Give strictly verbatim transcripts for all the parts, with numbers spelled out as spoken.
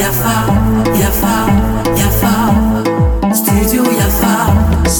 Yafa, yafa, yafa. Studio yafa.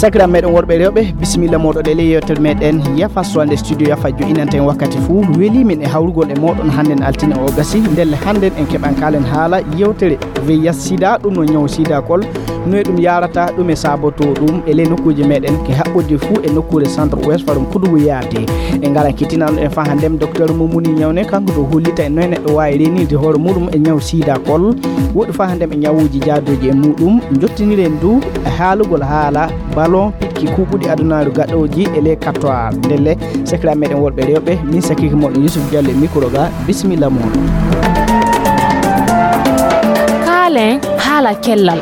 Sakiraaɓe meɗen worɓe e rewɓe, bisimilla mooɗon e ley yewtere meɗen Yafa, so hannde studio Yafa jo'inanta en wakkati fuu. Weli min e hawrugol e mooɗon hannden altine o gasi. Ndelle hannden en keɓan kaalen haala yewtere V I H sida, ɗum no ñaw sida kol. No e ɗum yaarata, ɗum e saabotoo ɗum e ley nokkuuje meɗen ke haɓɓude fuu e nokkuure centre ouest farum kudugu yaate. En ngaran kettinano en faa hannden docteur Mumuni Ñawne, kanko to hollita en noye neɗɗo waawi reenirde hoore muɗum e ñaw sida kol. Woɗɗi faa hannden e ñawuuji jaadooji e muɗum. Njottiniren du e haalugol haala ballon piɗki kuuɓuɗi adunaaru gaɗooji e ley kattoir. Ndelle, sakiraaɓe meɗen worɓe e rewɓe, min sakiraaɓe mooɗon Yusuf Diallo e mikro ga, bisimilla mooɗon. Kaalen haala cellal.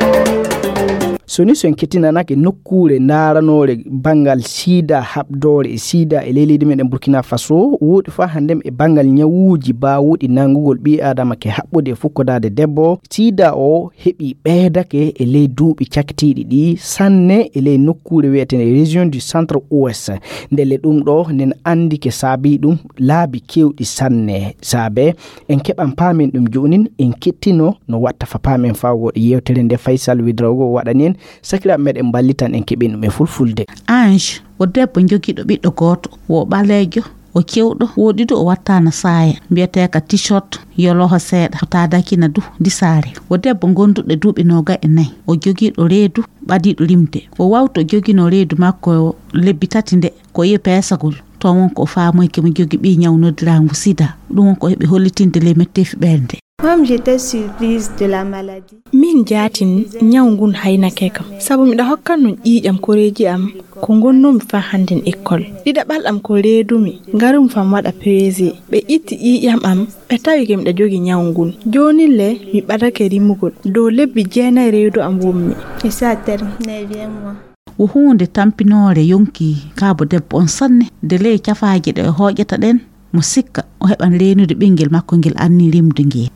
So ni so en kettinanake nokkuure ndaaranoore banngal sida, haɓdoore e sida e ley leydi meɗen Burkina Faso, woɗɗi faa hannden e banngal ñawuuji baawuɗi nanngugol ɓii aadama ke haɓɓude e fukkodaade debbo, sida o heɓi ɓeydake e ley duuɓi cakitiiɗi ɗi sanne e ley nokkuure wiyeteende région du centre ouest. Ndelle ɗum ɗo nen anndi ke saabii ɗum laabi keewɗi sanne. Saabe en keɓan paamen ɗum joonin, en kettino no watta fa paamen faa woɗɗi yewtere nde Faysal Widrago waɗani en. Sakiraaɓe meɗen mballitan en keɓen ɗum e fulfulde. Ange, o debbo jogiiɗo ɓiɗɗo gooto, o ɓaleejo, o cewɗo, woɗɗi du o wattaana saaya, mbiyeteeka t-shirt, yoloho seeɗa, o taadakina du disaare. O debbo gonduɗo duuɓi noogay e nayi, o jogiiɗo reedu ɓadiiɗo rimde. O wawto joginoo reedu makko lebbi tati nde, ko e peesagol. Toon won ko o faamoyke mo jogi ɓii ñaw noddiraangu sida. Ɗum won ko heɓi hollitinde ley metteefi ɓernde. Comme j'étais surprise de la maladie. Min jaatin ñaw ngun haynake kam, sabu miɗa hokkan nun ƴiiƴam koreeji am ko ngonnoomi faa hannden ekkol. Ɗiɗaɓal am ko reedumi, ngarumi faa mi waɗa peese. Ɓe itti ƴiiƴam am, ɓe tawi ke miɗa jogi ñaw ngun. Joonin le, mi ɓadake rimugol. Dow lebbi jeenay reedu am wonmi. Et ça terme, neuvième mois. Wo huunde tampinoore yonki kaabo debbo on sanne, de ley cafaaje ɗe o hooƴata ɗen, mo sikka o heɓan reenude ɓinngel makko ngel annii rimde ngel.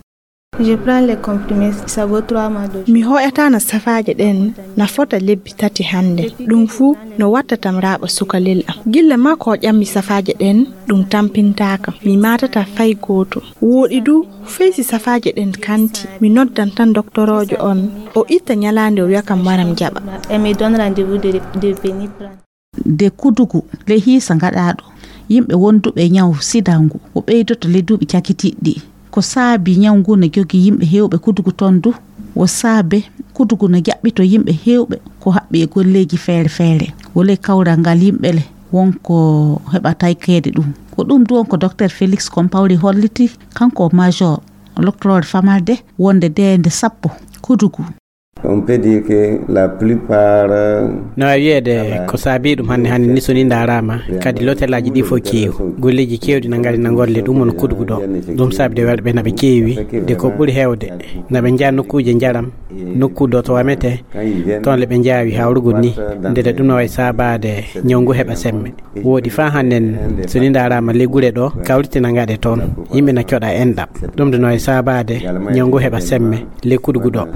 Je prends les comprimés, ça vaut trois mois de. Mi hooƴataana safaaje ɗen na fota lebbi tati hannde. Ɗum fuu no wattatam raaɓa sukalel am. Gilla maa ko ƴammi safaaje ɗen, ɗum tampintaaka. Mi maatataa fay gooto. Wooɗi du, fey si safaaje ɗen kanti, mi noddan tan doktoroojo on. O itta ñalaande o wi'a kam waram jaɓa. Elle me donne rendez-vous de, de venir prendre. De kudugu ley hiisa ngaɗaaɗo yimɓe wonduɓe e ñaw sida ngu, o ɓeydoto ley duuɓi cakitiiɗi ɗi. Ko saabii ñaw ngu na jogii yimɓe heewɓe kudugu toon du, wo saabe kudugu na jaɓɓito yimɓe heewɓe ko haɓɓi e golleeji feere feere. Wo ley kawral ngal yimɓe le won ko heɓa taykeede ɗum. Ko ɗum du won ko Docteur Félix Compaoré holliti, kanko major loktoroore famalde wonde deende sappo kudugu. On peut dire que la plupart. No waawi wiyeede ko saabii ɗum hannde hannde ni, so ni ndaaraama, kadi lotelaaji ɗi fof keewi. Golleeji keewɗi na ngari na ngolle ɗum woni kudugu ɗo. Ɗum saabi de waɗɓe na ɓe keewi, de ko ɓuri heewde na ɓe njaha nokkuuje njaram, nokku ɗo to wametee, toon le ɓe njaawi hawrugol ni, nde ɗum no wayi saabaade ñaw ngu heɓa semme. Wooɗi faa hannden, so ni ndaaraama ley gure ɗo, kawrite na ngaɗe toon. Yimɓe na coɗa enɗam. Ɗum de no e saabaade ñaw ngu heɓa semme ley kudugu ɗo.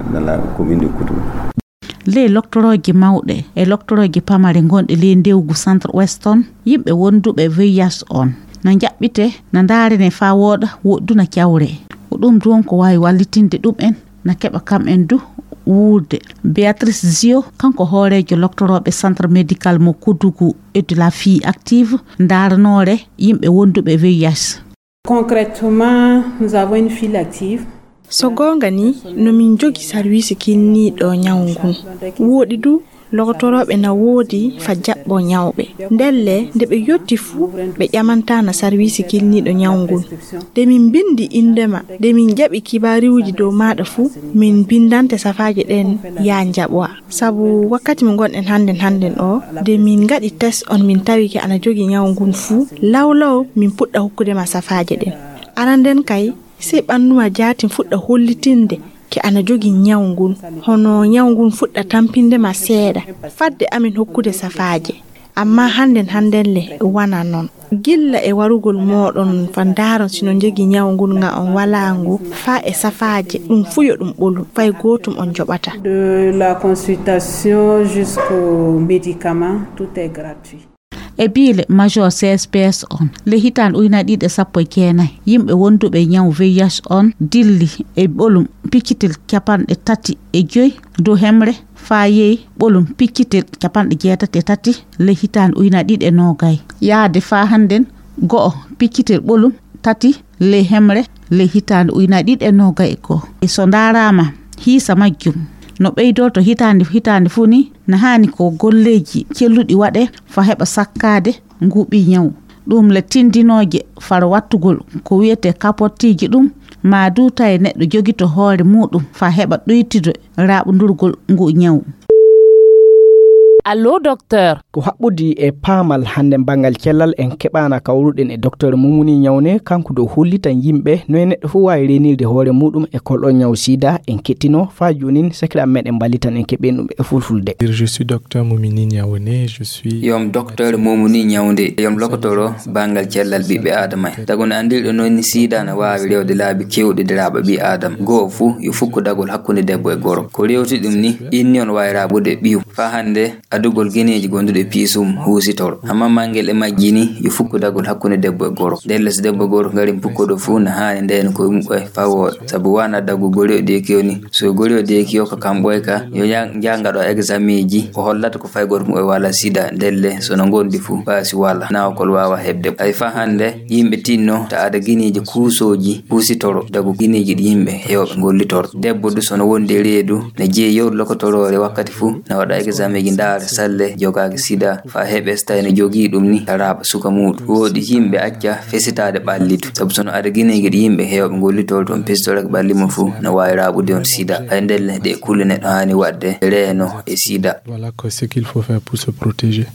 Ley loktorooji mawɗe e loktorooji pamare ngonɗe ley ndewgu centre ouest on, yimɓe wonduɓe V I H on na njaɓɓite, na ndaarene faa wooɗa, woɗɗuna cawre. Ko ɗum du won ko waawi wallitinde ɗum en. Na keɓa kam en du wuurde. Béatrice Zio, kanko hooreejo loktorooɓe centre médical mo Koudougou et de la fille active, ndaaranoore yimɓe wonduɓe V I H. Concrètement, nous avons une fille active. So goonga ni, no min jogi sarwiisi kinniiɗo ñaw ngun. Wooɗi du, logotorooɓe na woodi fa jaɓɓo ñawɓe. Ndelle, nde ɓe yotti fu, ɓe ƴamantaana sarwiisi kinniiɗo ñaw ngun. Nde min mbinndi innde ma, nde min jaɓi kibaariwuuji dow maaɗa fu, min mbinndante safaaje ɗen yaa njaɓowa. Sabu wakkati mo ngonɗen hannden hannden o, nde min ngaɗi test on min tawi ke ana jogi ñaw ngun fu, law law min puɗɗa hokkude ma safaaje ɗen. Aran nden kay, sey ɓanndu ma jaatin fuɗɗa hollitinde ke ana jogi ñaw ngun, hono ñaw ngun fuɗɗa tampinde ma seeɗa, fadde amin hokkude safaaje. Amma hannden hannden le, wana non. Gilla e warugol mooɗon fa ndaaron si no jogi ñaw ngun nga on walaa ngu, faa e safaaje, ɗum fu yo ɗum ɓolu, fay gootum on joɓata. De la consultation jusqu'au médicament, tout est gratuit. E biile major C S P S on, le hitaande ujunaaji ɗiɗi e sappo e jeenayi, yimɓe wonduɓe e ñaw V I H on dilli e ɓolum piccitel capanɗe tati e joy dow hemre faa yehi ɓolum piccitel capanɗe jeetati e tati le hitaande ujunaaji ɗiɗi e noogay. Yaade faa hannden go'o piccitel ɓolum tati le hemre le hitaande ujunaaji ɗiɗi e noogay e go'o. E so ndaaraama hiisa majjum no ɓeydorto hitaande hitaande fuu ni, na haani ko golleeji celluɗi waɗe faa heɓa sakkaade ngu ɓii ñaw. Ɗum le tindinooje faro wattugol ko wiyetee kapottiiji ɗum, maa du tawi neɗɗo jogito hoore muuɗum faa heɓa ɗuytude raaɓundurgol ngu ñaw. Allo, docteur. Ko haɓɓudi e paamal hannde banngal cellal en keɓaana kawruɗen e docteur Mumuni Ñawne, kanko ɗo hollitan yimɓe no e neɗɗo fof waawi reenirde hoore muuɗum e kolɗo ñaw sida. En kettino faa joonin sakiraaɓe meɗen mballitan en keɓen ɗum e fulfulde. Je suis docteur Mumini Ñawne, je suis Yom docteur Mumuni Ñawde, yom lokotoro banngal cellal ɓiɓɓe Aadama en. Tago no anndirɗo noon ni sida na waawi rewde laabi keewɗi de raaɓa ɓii Aadama. Goo fuu yo fukku dagol hakkunde debbo e goro. Ko rewti ɗum ni, inni on waawi raaɓude ɓiyu. Faa hannde, adugol gineeji gonduɗi e piisum huusitoro. Amma mangel e majji ni, yo fukku dagol hakkunde debbo e goro. Ndelle so debbo e goro ngari pukkuɗo fuu, na haani ndeen koye muɓɓe faa wooɗa. Sabu waana dagu gori o deeki o ni. So gori o deeki o ka kam ɓoy ka, yo ya-, njaanga ɗo exameeji, o hollata ko fay gooto muɓɓe wala sida. Ndelle, so no ngondi fuu, baasi wala, naawkol waawa heɓde. Ay faa hannde, yimɓe tinno ta ada gineeji kuusooji, huusitoro, dagu gineeji ɗi yimɓe heewɓe ngollitoro. Debbo du so no wondi e reedu, ne jeeyi yewde lokotoroore wakkati fuu, na waɗa exameeji ndaara salle jogaaki sida, faa heɓe so tawi no jogii ɗum ni, raaɓa suka muuɗum. Wooɗi yimɓe acca fesitaade ɓallidu. Sabu so no ada gineeji ɗi yimɓe heewɓe ngollitoro toon, pesitorake ɓalli mum fuu, no waawi raaɓude on sida. Ay ndelle ɗe kulle neɗɗo haani waɗde reeno e sida. Voilà quoi, ce qu'il faut faire pour se protéger.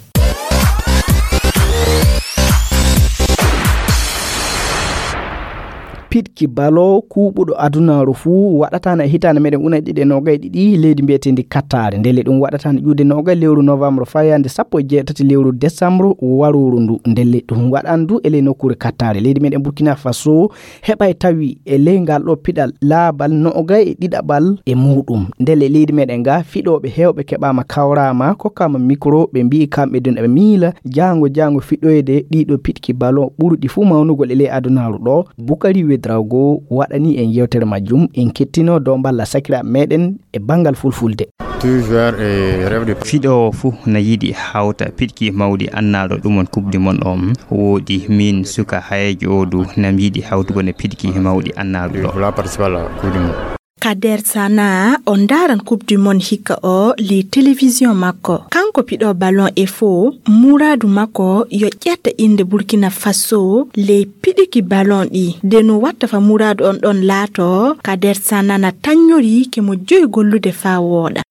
Piɗki balo kuuɓuɗo adunaaru fuu waɗataana e hitaande meɗen ujunaaji ɗiɗi e noogay ɗiɗi leydi mbiyeteendi Qatar. Ndelle ɗum waɗataana ƴuude noogay lewru novembre fayande sappo e jeetati lewru décembre warooru ndu. Ndelle ɗum waɗan du e ley nokkuure Qatar. Leydi meɗen Burkina Faso heɓay tawi e ley ngal ɗo piɗal laaɓal noogay e ɗiɗaɓal e muuɗum. Ndelle leydi meɗen nga fiɗooɓe heewɓe keɓaama kawraama, kokkaama mikro, ɓe mbi'i kamɓe dun eɓe miila jaango jaango fiɗoyde ɗiɗo piɗki ballon ɓuruɗi fuu mawnugol e ley adunaaru ɗo. Bukari Wedrago waɗani en yewtere majjum, en kettino dow mballa sakiraaɓe meɗen e banngal fulfulde. Tout joueur e rêve de Fiɗoowo fuu na yiɗi hawta piɗki mawɗi annaaɗo ɗum on Coupe du Monde on. Wooɗi miin suka hayeejo oo du na mi yiɗi hawtugol e piɗki mawɗi annaaɗo ɗo. Voilà, participer à la Coupe du Monde. Kader Sana, on ndaaran Coupe du Monde hikka o ley télévision makko. Kanko piɗo ballon e fo, muraadu makko yo ƴetta innde Burkina Faso ley piɗiki ballon ɗi. De no watta fa muraadu on ɗon laato, Kader Sana na tannyori ke mo joyi gollude faa wooɗa.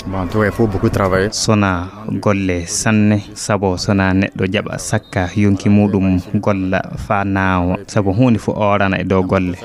Bon, to, il faut beaucoup travailler. Sona golle sanne, sabo sona neɗɗo jaɓa sakka yonki muuɗum golla faa naawa, sabo huunde fof oorana e dow golle.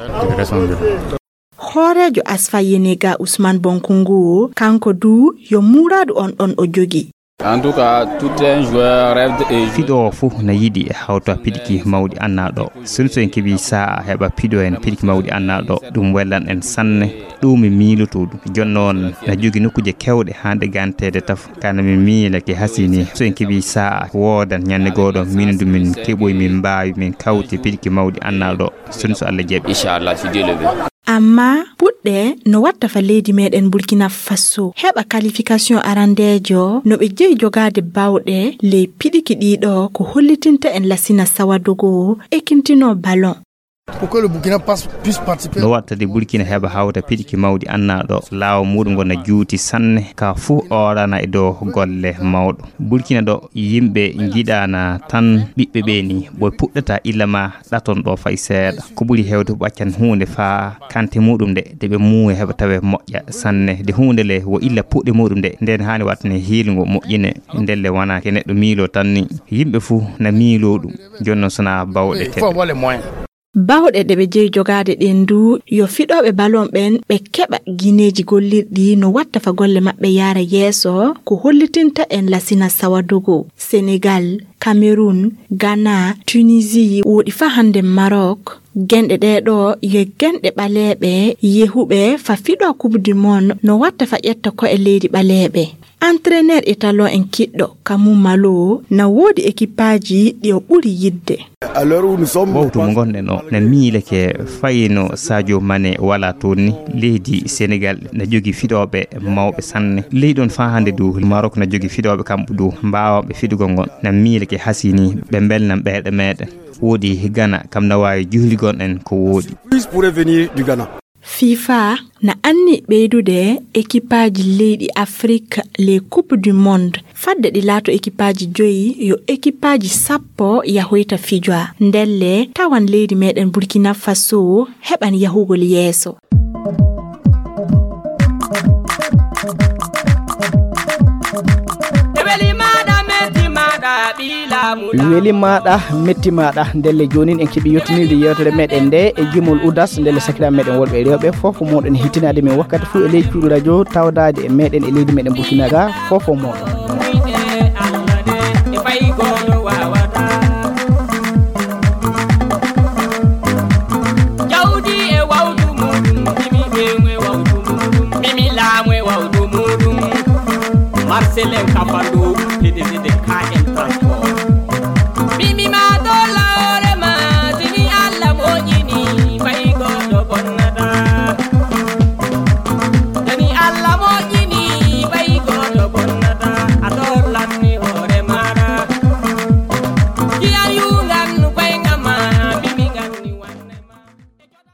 Hooreejo Asfa Yenega Ousmane Bonkungu, kanko du yo muraadu on ɗon o jogi. En tout cas, tout un joueur rêve et Fiɗoowo fof na yiɗi e hawta piɗki mawɗi annaaɗo. Sinno so en keɓii sa'a heɓa piɗo en piɗki mawɗi annaaɗo, ɗum wellan en sanne. Ɗum mi miilotoo ɗum. Jooni noon na jogii nokkuuje keewɗe hannde ganteede taf. Kana mi miila ke hasini. So en keɓii sa'a woodan ñande gooɗo min du min keɓoy min mbaawi min kawti piɗki mawɗi annaaɗo. Sinno so Allah jaɓi. Inchallah, si Dieu le veut. Amma puɗɗe no watta fa leydi meɗen Burkina Faso heɓa qualification arandeejo no ɓe jeyi jogaade bawɗe ley piɗiki ɗiɗo ko hollitinta en Lassina Sawadogo ekintino ballon. Pour que le Burkina passe, puisse participer. No watta de Burkina heɓa hawta piɗiki mawɗi annaaɗo laawo muɗum ngo na juuti sanne ka fuu oorana e dow golle mawɗo. Burkina ɗo yimɓe njiɗaana tan ɓiɓɓe ɓe ni ɓoy puɗɗata illa ma ɗaton ɗo fay seeɗa. Ko ɓuri heewde ɓaccan huunde faa kante muɗum nde, de ɓe muuya heɓa tawe moƴƴa sanne. De huunde le wo illa puɗɗe muɗum nde, nden haani wattane hiilngo moƴƴine. Ndelle wona ke neɗɗo miilo tan ni. Yimɓe fuu na miilo ɗum. Jooni noon sona bawɗe Il faut teɓe. Avoir les moyens. Bawɗe ɗe ɓe jeyi jogaade ɗen du, yo fiɗooɓe ballon ɓen ɓe keɓa gineeji gollirɗi no watta fa golle maɓɓe yaara yeeso, ko hollitinta en Lassina Sawadogo, Sénégal, Cameroun, Ghana, Tunisie, woɗi fa hannde Maroc, Genɗe ɗee ɗoo yo genɗe ɓaleeɓe yehuɓe fa fiɗo Coupe du Monde no watta fa ƴetta ko e leydi ɓaleeɓe. Entraîneur italon en kiɗɗo Kamu Malo na woodi ekipaaji ɗi o ɓuri yidde. Wawtu mo ngonɗen o na miileke fayno Sadio Mane wala toon ni. Leydi Senegal na jogi fiɗooɓe mawɓe sanne. Leydi on faa hannde du Marok na jogi fiɗooɓe kamɓe du mbaawaaɓe fiɗugol ngon. Na miileke hasini ɓe mbelnan ɓeeɗe meeɗen. Woodi Gana kam na waawi juhligol en ko woodi. Fifa na anni ɓeydude ekipaaji leyɗi Afrik les Coupe du Monde. Fadde ɗi laato ekipaaji joyi, yo ekipaaji sappo yahoyta fijoa. Ndelle tawan leydi meɗen Burkina Faso heɓan yahugol yeeso. Weli maɗa metti maɗa ndelle jonin en keɓi yettinirde yewtere meɗen nde e jimol udas ndelle sakira meɗen worɓe e rewɓe fof ko moɗon hittinade min wakkati fuu e ley cuuɗu radio tawdade e meɗen e leydi meɗen Burkina ga fof o moɗon. Marcelin Kafando, P D G de K M Transport.